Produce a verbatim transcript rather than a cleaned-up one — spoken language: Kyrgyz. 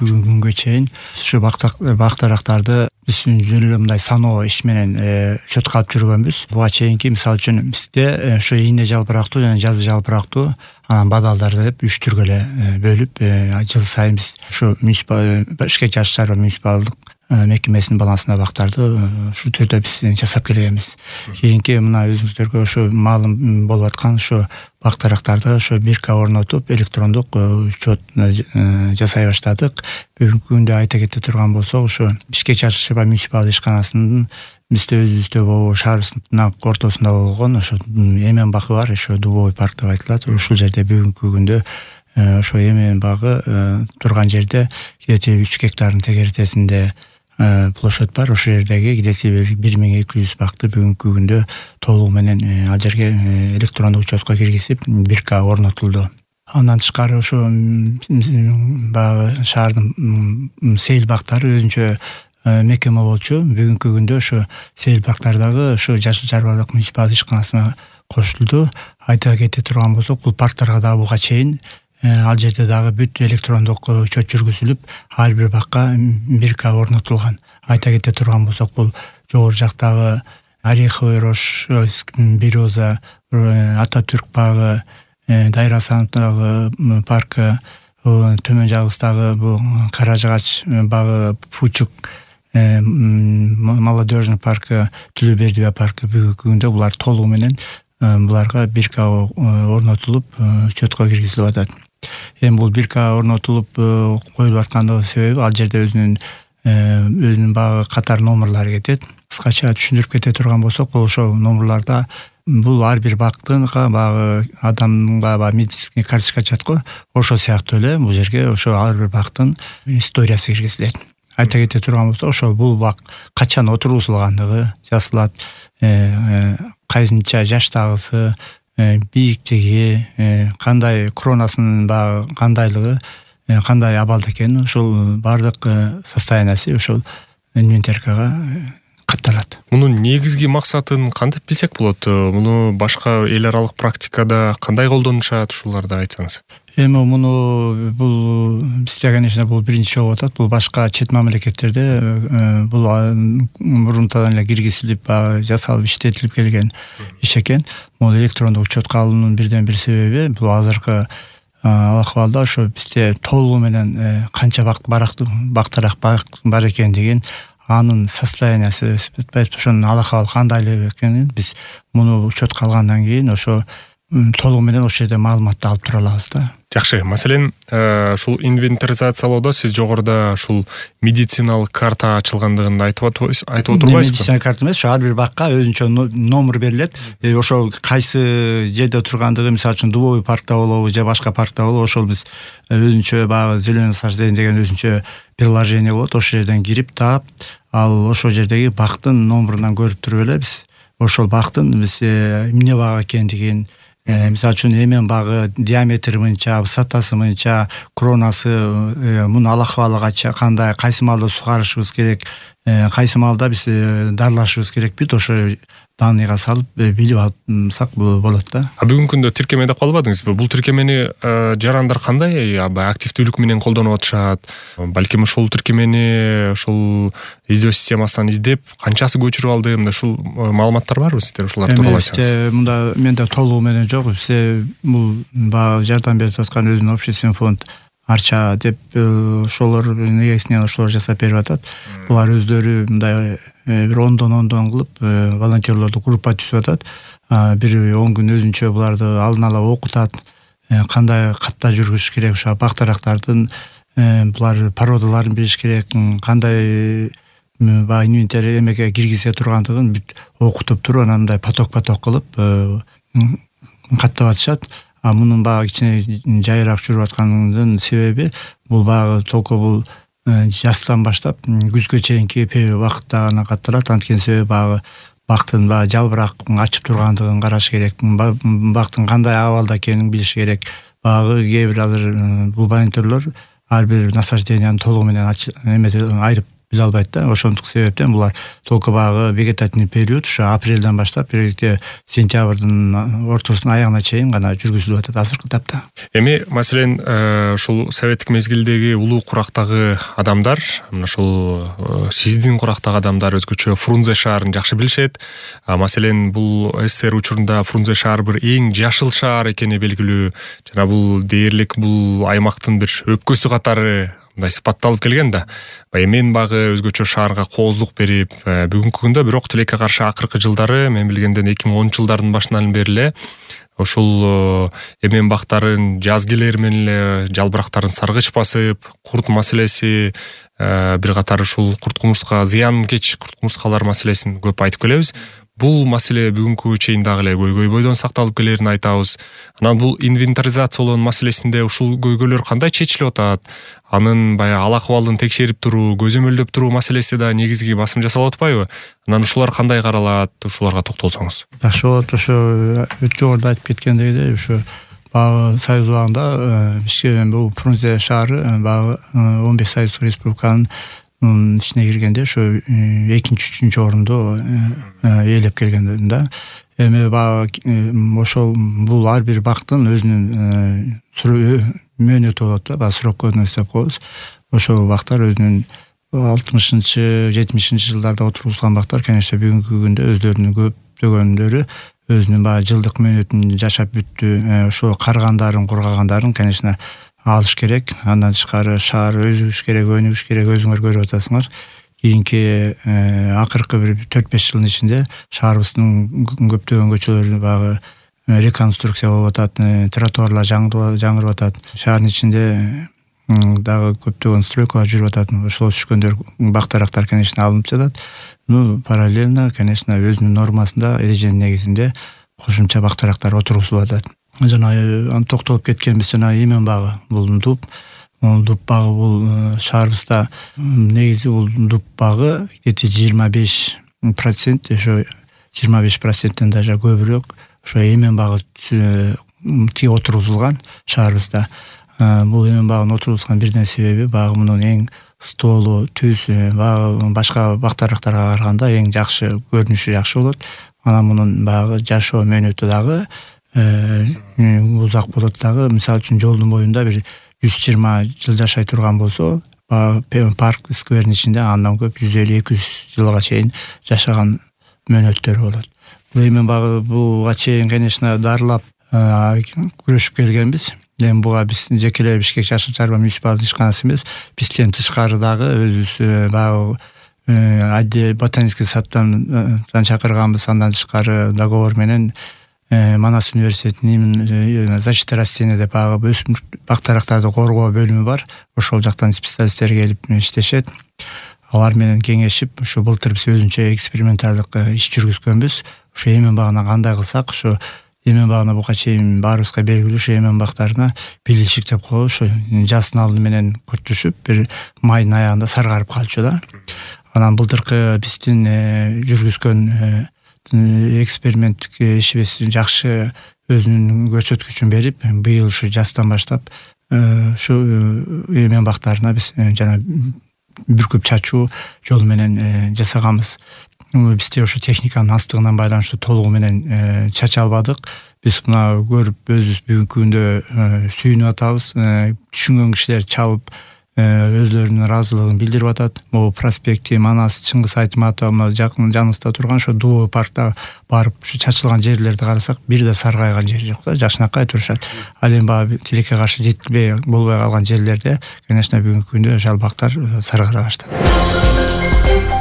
бүгүнкү күнгө чейин ушу бактарактарды биз жөн эле мындай саноо иш менен учетко алып жүргөнбүз. Буга чейинки мисалы үчүн бизде ошо ийне жалбырактуу жана жазы жалбырактуу анан бадалдарды деп үч түргө эле бөлүп жыл сайын биз ушу Бишкек жаш шаар муниципалдык мекемесинин балансына бактарды ушу түрдө биз жасап келебиз. Кийинки мына өзүңүздөргө ошо маалым болуп аткан ошо бактарактарды ошо бирка орнотуп электрондук учет жасай баштадык. Бүгүнкү күндө айта кете турган болсок, ошо Бишкек жаш шаар муниципалдык ишканасынын бизде өзүбүздө шаарыбыздын ортосунда болгон ошо эмен бакы бар, ошо Дубовый парк деп айтылат. Ушул жерде бүгүнкү күндө ошо эмен багы турган жерде кидети үч гектардын тегересинде площадь бар. Ошол жердеги кидети бир миң эки жүз бакты бүгүнкү күндө толугу менен ал жерге электрондук учетко киргизип бирка орнотулду. Андан тышкары ошо баягы шаардын сейил бактары өзүнчө мекеме болчу. Бүгүнкү күндө ошо сейил бактардагы ошо жаш шаардык муниципалдык ишканасына кошулду. Айта кете турган болсок, бул парктарга дагы буга чейин ал жерде дагы бүт электрондук учет жүргүзүлүп, ар бир бакка бирка орнотулган. Айта кете турган болсок, бул жогору жактагы Ореховый рощ, Береза, Ататүрк багы, Дайра Асановдагы паркы, төмөн жагыбыздагы бул Кара жыгач багы, Пучук, молодежный паркы, Түлөбердибе паркы бүгүнкү күндө булар толугу менен буларга бирка орнотулуп учетко киргизилип атат. Эми бул бирка орнотулуп коюлуп аткандыгы себеби ал жерде өзүнүн өзүнүн багы катар номерлары кетет. Кыскача түшүндүрүп кете турган болсок, бул ошо номерларда бул ар бир бактынга багы адамга ба медицинский карточка чат го, ошол сыяктуу эле бул жерге ошо ар бир бактын историясы киргизилет. Айта кете турган болсок, ошо бул бак качан отургузулгандыгы жазылат, кайсынча жаштагысы, бийиктиги, кандай коронасынын багы кандайлыгы, кандай абалда экени, ошол бардык состояниясы ошол инвентаркага катталат. Мунун негизги максатын кантип билсек болот? Муну башка эл аралык практикада кандай колдонушат, ушуларды айтсаңыз. Эми муну бул бизде, конечно, бул биринчи болуп атат. Бул башка чет мамлекеттерде бул мурунтан эле киргизилип, жасалып, иштетилип келген иш экен. Бул электрондук учетко алуунун бирден бир себеби бул азыркы акыбалда ошо бизде толугу менен канча бакт бактарак бар экендигин, анын состояниясы, ошонун алакабал кандайлык экенин биз муну учетко алгандан кийин ошо толугу менен ошол жерде маалыматты алып тура алабыз да. Жакшы. Маселен, ушул инвентаризациялоодо сиз жогоруда ушул медициналык карта ачылгандыгын айтып отурбайсызбы? Медициналык карта эмес, ошо ар бир бакка өзүнчө номер берилет. Ошо кайсы жерде тургандыгы, мисалы үчүн Дубовый паркта болобу же башка паркта болобу, ошол биз өзүнчө баягы зеленый насаждение деген өзүнчө приложение болот. Ошол жерден кирип таап, ал ошол жердеги бактын номерунан көрүп туруп эле биз ошол бактын биз эмне баг экендигин, мисалы үчүн эмен багы диаметри мынча, высотасы мынча, коронасы, мунун алакабалы кандай, кайсы маалда сугарышыбыз керек, кайсы маалда биз дарылашыбыз керекпи, ошо данныйга салып билип алсак болот да. А бүгүнкү күндө тиркемеде калбадыңызбы? Бул тиркемени жарандар кандай активдүүлүк менен колдонуп атышат? Балким ошол тиркемени ошол издөө системасынан издеп, канчасы көчүрүп алды? Мында ушул маалыматтар барбы сиздер ушулар тууралуу айтсаңыз? Мында менде толугу менен жок. Бизде бул баягы жардам берип аткан өзүнүн общественный фонд Арча деп ошолор негизинен ошолор жасап берип атат. Булар өздөрү мындай бир ондон ондон кылып волонтерлорду группа түзүп атат. Бир он күн өзүнчө буларды алдын ала окутат, кандай катта жүргүзүш керек, ошо бактарактардын булар породаларын билиш керек, кандай баягы инвентарь эмеге киргизе тургандыгын бүт окутуп туруп, анан мындай поток-поток кылып каттап атышат. А мунун баягы кичине жайыраак жүрүп атканынын себеби бул баягы толку бул жаздан баштап күзгө чейинки убакытта гана катталат. Анткени себеби баягы бактын баягы жалбырак ачып тургандыгын караш керек, бактын кандай абалда экенин билиш керек. Баягы кээ бир азыр бул волонтерлор ар бир насажденияны толугу менен айрып биле албайт да. Ошондук себептен булар только багы вегетативный период ушу апрелден баштап бирге сентябрдын ортосунун аягына чейин гана жүргүзүлүп атат азыркы тапта. Эми маселен ушул советтик мезгилдеги улуу курактагы адамдар, мына ушул сиздин курактагы адамдар өзгөчө Фрунзе шаарын жакшы билишет. Маселен бул СССР учурунда Фрунзе шаар бир эң жашыл шаар экени белгилүү. Жана бул дээрлик бул аймактын бир өпкөсү катары мындай сыпатталып келген да. Эмен багы өзгөчө шаарга кооздук берип, бүгүнкү күндө бирок тилекке каршы акыркы жылдары мен билгенден эки миң онунчу жылдардын башынан бери эле ошол эмен бактарын жаз келер менен эле жалбырактарын саргыч басып, курт маселеси, бир катар ушул курт кумурска зыянкеч курт кумурскалар маселесин көп айтып келебиз. Бул маселе бүгүнкү чейин дагы эле көйгөй бойдон сакталып келерин айтабыз. Анан бул инвентаризациялоо маселесинде ушул көйгөйлөр кандай чечилип атат? Анын баягы ал акыбалын текшерип туруу, көзөмөлдөп туруу маселеси да негизги басым жасалып атпайбы? Анан ушулар кандай каралат? Ушуларга токтолсоңуз. Жакшы болот. Ошо жогоруда айтып кеткендегидей, ушу багы Союз убагында бизге бул Фрунзе шаары багы он беш Союз республиканын ичине киргенде ошо экинчи, үчүнчү орунду ээлеп келген да. Эми багы ошол бул ар бир бактын өзүнүн мөөнөтү болот да, баягы срок кодуна деп коебуз. Ошол бактар өзүнүн алтымышынчы, жетимишинчи жылдарда отурулган бактар, конечно, бүгүнкү күндө өздөрүнүн көптөгөндөрү өзүнүн баягы жылдык мөөнөтүн жашап бүттү. Ошол каргандарын, кургагандарын, конечно, алыш керек. Андан тышкары шаар өзүш керек, өнүгүш керек. Өзүңөр көрүп атасыңар. Кийинки акыркы бир төрт беш жылдын ичинде шаарыбыздын көптөгөн көчөлөрү багы реконструкция болуп атат, тротуарлар жаңырып атат. Шаардын ичинде дагы көптөгөн стройкалар жүрүп атат. Ошол түшкөндөр бактарактар, конечно, алынып жатат. Ну, параллельно, конечно, өзүнүн нормасында, эреженин негизинде кошумча бактарактар отургузулуп атат. Жана аны токтолуп кеткенбиз, жана эмен багы бул дуб. Дуб багы бул шаарыбызда негизи бул дуб багы где-то жыйырма беш процент, ошо жыйырма беш проценттен даже көбүрөөк ошо эмен багы ти отургузулган шаарыбызда. Бул эмен багынын отургузган бирден себеби багы мунун эң стоолу, түз, багы башка бактарактарга караганда эң жакшы көрүнүшү жакшы болот. Анан мунун багы жашоо мөөнөтү дагы узак болот дагы. Мисалы үчүн жолдун боюнда бир жүз жыйырма жыл жашай турган болсо, парк сквердин ичинде андан көп жүз элүү эки жүз жылга чейин жашаган мөөнөттөр болот. Бул эми багы буга чейин, конечно, дарылап күрөшүп келгенбиз. Эми буга биз жекелей Бишкек жашыл чарба муниципалдык ишканасы эмес, бизден тышкары дагы өзүбүз багы адде ботанический садтан чакырганбыз. Андан тышкары договор менен Манас университетинин защита растений деп багы өсүмдүк бактарактарды коргоо бөлүмү бар. Ошол жактан специалисттер келип иштешет. Алар менен кеңешип, ушу былтыр биз өзүнчө эксперименталдык иш жүргүзгөнбүз. Ушу эмен багына кандай кылсак, ушу эмен багына буга чейин баарыбызга белгилүү, ушу эмен бактарына пиличик деп коебуз. Ушу жаздын алды менен күртүшүп, бир майдын аягында саргарып калчу да. Анан былтыркы биздин жүргүзгөн эксперименттик ишибиз жакшы өзүнүн көрсөткүчүн берип, быйыл ушу жаздан баштап ушу эмен бактарына биз жана бүркүп чачуу жол менен жасаганбыз. Бизде ошо техниканын астыгынан байланыштуу толугу менен чача албадык. Биз мына көрүп өзүбүз бүгүнкү күндө сүйүнүп атабыз. Түшүнгөн кишилер чалып өзлөрүнүн ыраазылыгын билдирип атат. Могу проспекти, Манас, Чыңгыз Айтматов мына жакын жаныбызда турган ошо Дуу паркта барып ушу чачылган жерлерди карасак, бир да саргайган жери жок да, жакшынакай турушат. Ал эми баягы тилекке каршы жетилбей болбой калган жерлерде, конечно, бүгүнкү күндө жалбактар саргара баштады.